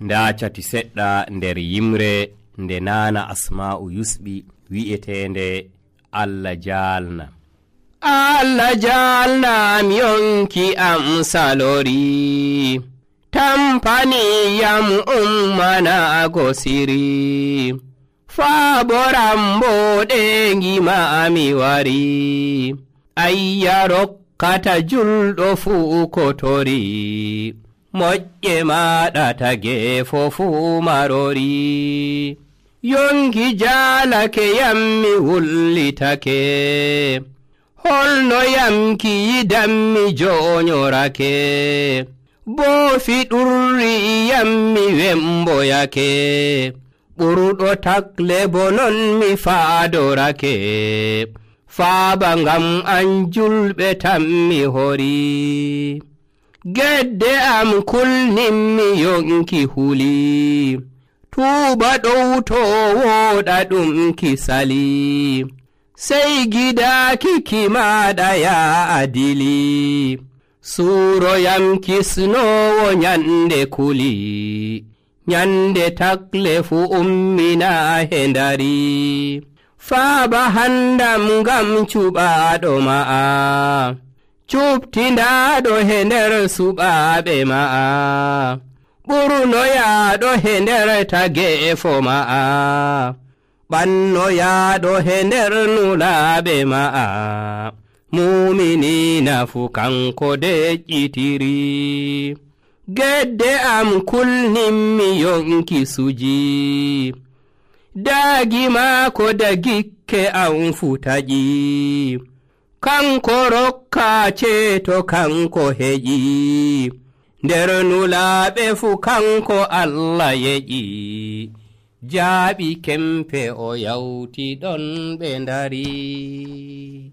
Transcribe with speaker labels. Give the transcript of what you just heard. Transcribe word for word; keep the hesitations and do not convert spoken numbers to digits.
Speaker 1: nda cati seɗɗa nder yimre nde nana Asma'u yusɓi wi'etende Allah jalna. Allah jalna mi yonki am salori, tampani yam ummana gosiri, faboram boɗe ngima mi wari, ayya rokkata julɗo fu kotori, moƴƴe maɗa tage fofu marori. Yonki jalake yam mi wullitake, holno yamki yidam mi jonyorake, bo fiɗurri yam mi wemboyake, ɓurɗo takle bo non mi faadorake, faaba ngam an julɓe tan mi hori. Gedde am kulninmi yonki huli, tuuba ɗow to woɗa ɗum kisali, sey gidaaki kimaɗa ya adili, suuroyam kisnowo nyande kuli, nyande takle fu ummina hendari, faaba handam ngam cuɓaɗo ma'a, cuptindaɗo he nder suɓaɓe ma'a, ɓurnoyaɗo he nder tagefo ma'a, ɓannoyaɗo he nder nulaɓe ma'a, muminina fu kanko deƴƴitiri. Gedde am kulninmi yonki suji, daagi maako dagikke am fu taƴi, kanko rokka ceeto kanko heƴi, nder nulaaɓe fu kanko Allah yeƴi, jaaɓi kempe o yawti ɗon ɓe ndari.